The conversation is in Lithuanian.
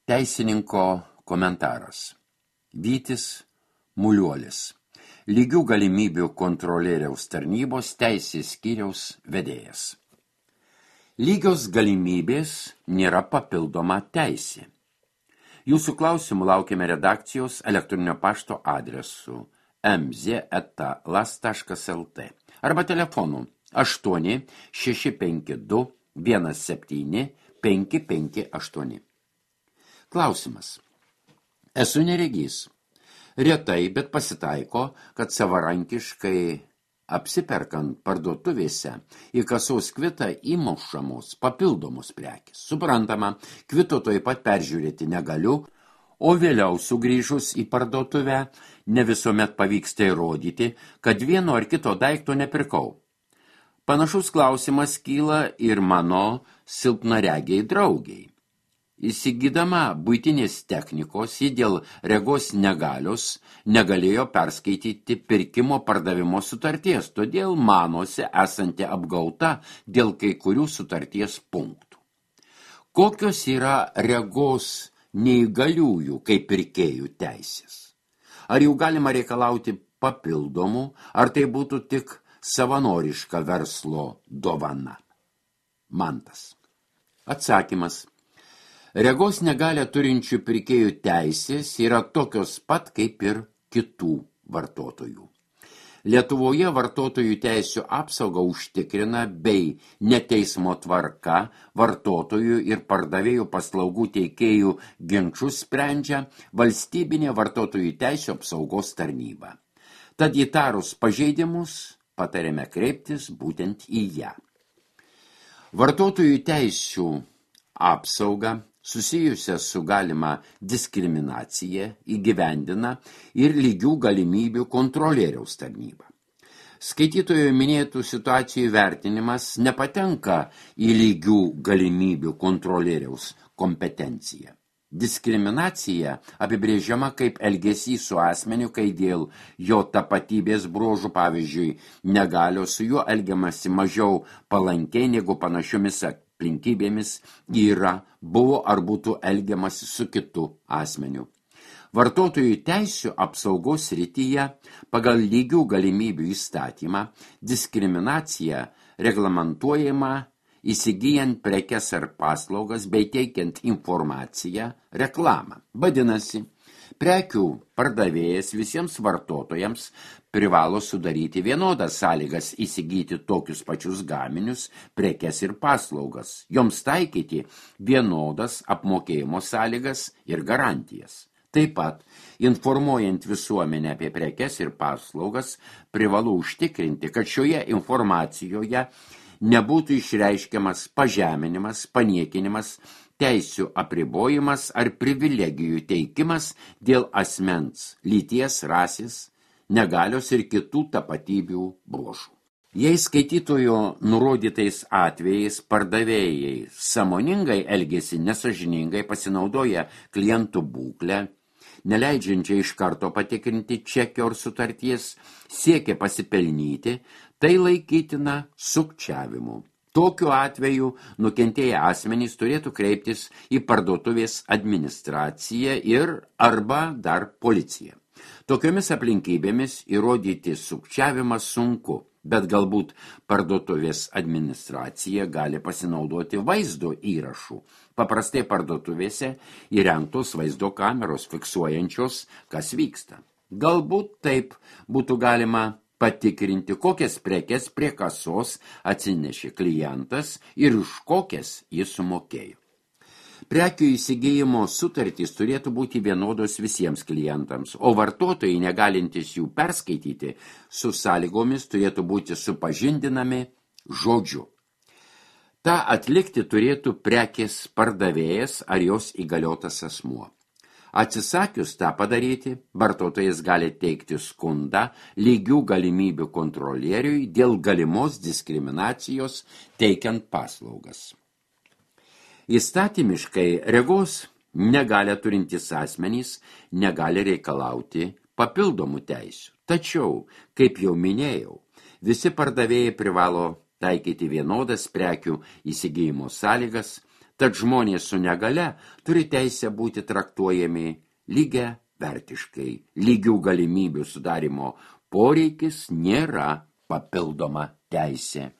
Teisininko komentaras. Vytis Muliuolis. Lygių galimybių kontrolieriaus tarnybos teisės skyriaus vedėjas. Lygios galimybės nėra papildoma teisė. Jūsų klausimų laukiame redakcijos elektroninio pašto adresu mz@las.lt arba telefonu 8 652 17 558. Klausimas. Esu neregys. Retai, bet pasitaiko, kad savarankiškai apsiperkant parduotuvėse į kasos kvitą įmušamos papildomos prekės. Suprantama, kvito taip pat peržiūrėti negaliu, o vėliau sugrįžus į parduotuvę ne visuomet pavyksta įrodyti, kad vieno ar kito daikto nepirkau. Panašus klausimas kyla ir mano silpnaregiai draugiai. Įsigydama buitinės technikos, ji dėl regos negalios negalėjo perskaityti pirkimo pardavimo sutarties, todėl manosi esanti apgauta dėl kai kurių sutarties punktų. Kokios yra regos neįgaliųjų kaip pirkėjų teisės? Ar jų galima reikalauti papildomų, ar tai būtų tik savanoriška verslo dovana? Mantas. Atsakymas. Regos negalią turinčių pirkėjų teisės yra tokios pat kaip ir kitų vartotojų. Lietuvoje vartotojų teisių apsaugą užtikrina bei neteismo tvarka vartotojų ir pardavėjų paslaugų teikėjų ginčus sprendžia valstybinė vartotojų teisių apsaugos tarnyba. Tad įtarus pažeidimus patariame kreiptis būtent į ją. Vartotojų teisių apsauga susijusią su galima diskriminacija įgyvendina ir lygių galimybių kontrolieriaus tarnyba. Skaitytojo minėtų situacijų vertinimas nepatenka į lygių galimybių kontrolieriaus kompetenciją. Diskriminacija apibrėžiama kaip elgesys su asmeniu, kai dėl jo tapatybės bruožų, pavyzdžiui, negalios su juo elgiamasi mažiau palankiai negu panašiomis aplinkybėmis buvo ar būtų elgiamasi su kitu asmeniu. Vartotojų teisių apsaugos srityje pagal lygių galimybių įstatymą diskriminacija reglamentuojama įsigijant prekes ar paslaugas bei teikiant informaciją, reklamą. Vadinasi, prekių pardavėjas visiems vartotojams privalo sudaryti vienodas sąlygas įsigyti tokius pačius gaminius, prekes ir paslaugas, joms taikyti vienodas apmokėjimo sąlygas ir garantijas. Taip pat, informuojant visuomenę apie prekes ir paslaugas, privalu užtikrinti, kad šioje informacijoje nebūtų išreiškiamas pažeminimas, paniekinimas, teisių apribojimas ar privilegijų teikimas dėl asmens, lyties, rasės, negalios ir kitų tapatybių bruožų. Jei skaitytojo nurodytais atvejais pardavėjai sąmoningai elgiasi nesąžiningai, pasinaudoja klientų būklę, neleidžiančiai iš karto patikrinti čekio ar sutarties, siekia pasipelnyti, tai laikytina sukčiavimu. Tokiu atveju nukentėję asmenys turėtų kreiptis į parduotuvės administraciją ir arba dar policiją. Tokiomis aplinkybėmis įrodyti sukčiavimą sunku, bet galbūt parduotuvės administracija gali pasinaudoti vaizdo įrašų. Paprastai parduotuvėse įrengtos vaizdo kameros fiksuojančios, kas vyksta. Galbūt taip būtų galima patikrinti, kokias prekes prie kasos atsinešė klientas ir už kokias jis sumokėjo. Prekių įsigijimo sutartys turėtų būti vienodos visiems klientams, o vartotojai, negalintys jų perskaityti, su sąlygomis turėtų būti supažindinami žodžiu. Ta atlikti turėtų prekės pardavėjas ar jos įgaliotas asmuo. Atsisakius tą padaryti, vartotojas gali teikti skundą lygių galimybių kontrolieriui dėl galimos diskriminacijos teikiant paslaugas. Įstatymiškai regos negalią turintys asmenys negali reikalauti papildomų teisių. Tačiau, kaip jau minėjau, visi pardavėjai privalo taikyti vienodas prekių įsigijimo sąlygas, Tad žmonės su negale turi teisę būti traktuojami lygia vertiškai. Lygių galimybių sudarimo poreikis nėra papildoma teisė.